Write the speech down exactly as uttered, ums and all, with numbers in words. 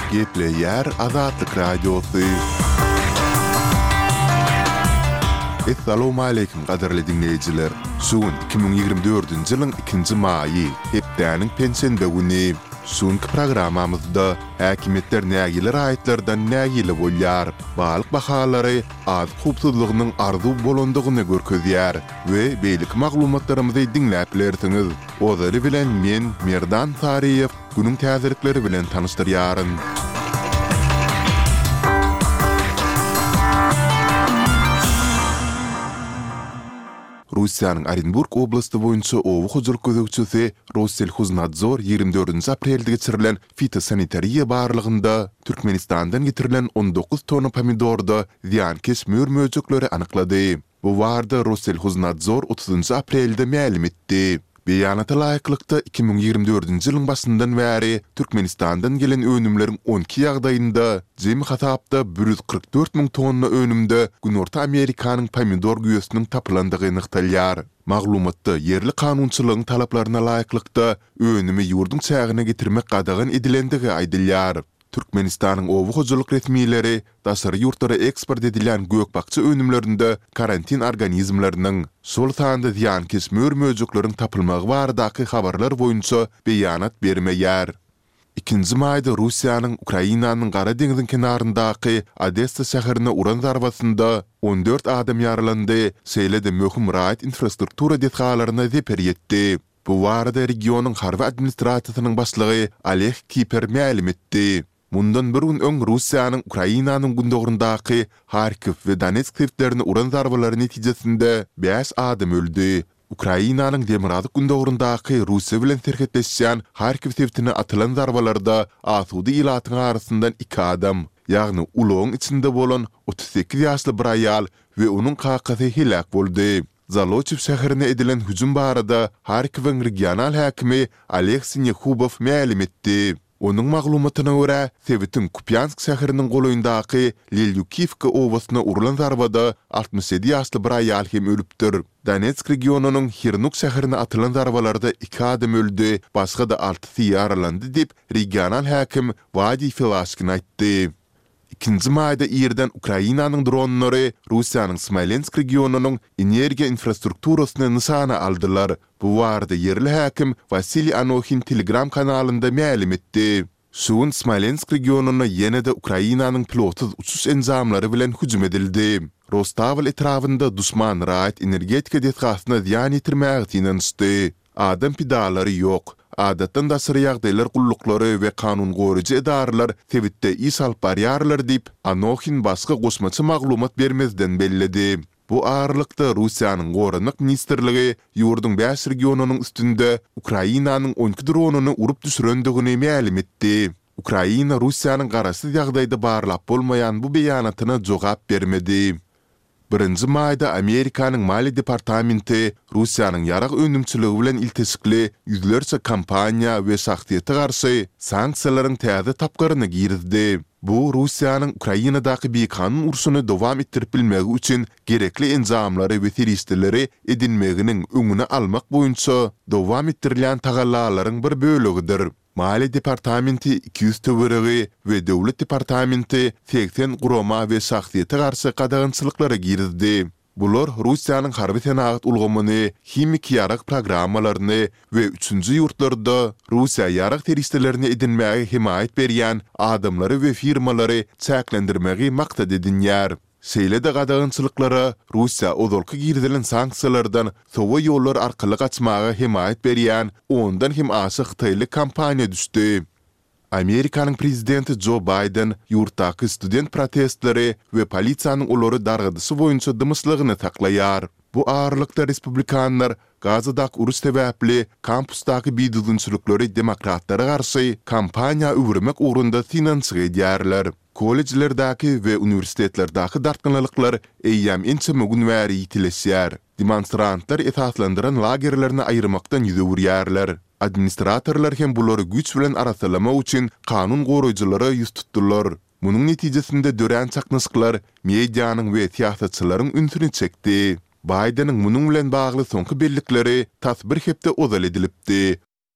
Gepleýär Azatlyk Radiosy. Essalawmaleýkim gadyrly diňleýjiler! Şu gün iki müň ýigrimi dördünji ýylyň ikinji maýy, hepdäniň penşenbe güni. Şu günki programmamyzda häkimiýetler nägile raýatlardan nägile bolýar, balyk bahalary azyk howpsuzlygynyň arzuw bolandygyny görkezýär we beýleki maglumatlarymyzy diňläp bilersiňiz. Ozaly bilen men, Merdan Saryýew, günüň täzelikleri bilen tanyşdyrýaryn. Russiýanyň Orenburg oblasty boýunça oba hojalyk gözegçisi Rosselhoznadzor ýigrimi dördünji aprelde geçirilen fitosanitariýa barlagynda Türkmenistandan getirilen on dokuz tonna pomidorda zyýankeş mör-möjekleri anyklady. Bu barada Rosselhoznadzor otuzynjy aprelde mälim etdi. Beýanata laýyklykda, iki müň ýigrimi dördünji ýylyň başyndan bäri Türkmenistandan gelen önümleriň on iki ýagdaýynda, jemi hasapda bir ýüz kyrk dört müň tonna önümde Günorta Amerikanyň pomidor güýesiniň tapylandygy nygtalýar. Maglumatda ýerli kanunçylygyň talaplaryna laýyklykda, önümi ýurduň çägine getirmek gadagan edilendigi aýdylýar. Türkmenistanyň oba hojalyk resmileri daşary ýurtlara eksport edilýän gök-bakja önümlerinde karantin organizmleriniň, şol sanda zyýankeş mör-möjekleriň tapylmagy baradaky habarlar boýunça beýanat bermeýär. Ikinji maýda Russiýanyň Ukrainanyň Gara deňziň kenaryndaky Odessa şäherine uran zarbasynda on dört adam ýaralandy, şeýle-de möhüm raýat infrastruktura desgalaryna zeper ýetdi. Bu barada regionyň harby administrasiýasynyň başlygy Oleg Kiper mälim etdi. Mundan bir gün öň Russiýanyň Ukrainanyň gündogaryndaky Harkiw we Donetsk sebitlerine uran zarbalary netijesinde bäş adam öldi. Ukrainanyň demirgazyk-gündogaryndaky Russiýa bilen serhetleşýän Harkiw sebitine atylan zarbalarda asuda ilatyň arasyndan iki adam, ýagny ulagyň içinde bolan otuz sekiz ýaşly bir aýal we onuň kakasy heläk boldy. Zoloçiw şäherine edilen hüjüm barada Harkiwiň regional häkimi Oleg Sinehubow mälim etdi. Onuň maglumatyna görä, sebitiň Kupýansk şäheriniň golaýyndaky Lelýukiwka obasyna urlan zarbada altmyş ýedi ýaşly bir aýal hem ölüpdir. Donetsk regionynyň Hirnuk şäherine atylan zarbalarda iki adam öldi, başga-da altysy ýaralandy diýip, regional häkim Wadiý Filaşkin aýtdy. Ikinji maýda irden Ukrainanyň dronlary Russiýanyň Smolensk regionynyň energiýa infrastrukturasyny nyşana aldylar. Bu barada ýerli häkim Wasiliý Anohin Telegram kanalynda mälim etdi. Şu gün Smolensk regionyna ýene-de Ukrainanyň pilotsyz uçuş enjamlary bilen hüjüm edildi. Rostawl etrabynda duşman raýat energetika desgasyna zyýan ýetirmäge synanyşdy. Adam pidalary ýok. Adatdan daşary ýagdaýlar gulluklary we kanun goraýjy edaralar sebitde iş alyp barýarlar diýip, Anohin başga goşmaça maglumat bermezden belledi. Bu aralykda, Russiýanyň Goranmak ministrligi ýurduň bäş regionynyň üstünde Ukrainanyň on iki dronyny urup düşürendigini mälim etdi. Ukraina Russiýanyň garaşsyz ýagdaýda barlap bolmaýan bu beýanatyna jogap bermedi. Birinji maýda Amerikanyň Maliýe departamenti Russiýanyň ýarag önümçiligi bilen ilteşikli ýüzlerçe kompaniýa we şahsyýete garşy sanksiýalaryň täze tapgyryny girizdi. Bu Russiýanyň Ukrainadaky bikanun urşuny dowam etdirip bilmegi üçin gerekli enjamlary we serişdeleri edinmeginiň öňüni almak boýunça dowam etdirilýän tagallalaryň bir bölegidir. Maliýe departamenti iki ýüz töweregi we Döwlet departamenti segsen gurama we şahsyýete garşy gadagançylyklary girizdi. Bular Russiýanyň harby-senagat ulgamyny, himiki ýarag programmalaryny we üçünji ýurtlarda Russiýa ýarag serişdelerini edinmäge hemaýat berýän adamlary we firmalary çäklendirmegi maksat edinýär. Şeýle-de gadagançylyklara Russiýa ozalky girizilen sanksiýalardan sowa ýollar arkaly gaçmaga hemaýat berýän ondan hem aşa hytaýly kompaniýa düşdi. Amerikanyň prezidenti Jo Baýden ýurtdaky student protestleri we polisiýanyň olary dargadyşy boýunça dymyşlygyny saklaýar. Bu aralykda respublikanlar Gazadaky uruş sebäpli kampusdaky bidüzgünçilikleri demokratlara garşy kampaniýa öwürmek ugrunda synanyşyk edýärler. Kollejlerdäki we uniwersitetlerdäki dartgynlylyklar eýýäm ençeme gün bäri ýitileşýär. Demonstrantlar esaslandyran lagerlerini aýyrmakdan ýüz öwürýärler. Administratorlar hem bulary güýç bilen arassalamak üçin kanun goraýjylara ýüz tutdular. Munuň netijesinde dörän çaknyşyklar medianyň we syýasatçylaryň ünsüni çekdi. Baýdeniň munuň bilen bagly soňky bellikleri tas bir hepde ozal edilipdi.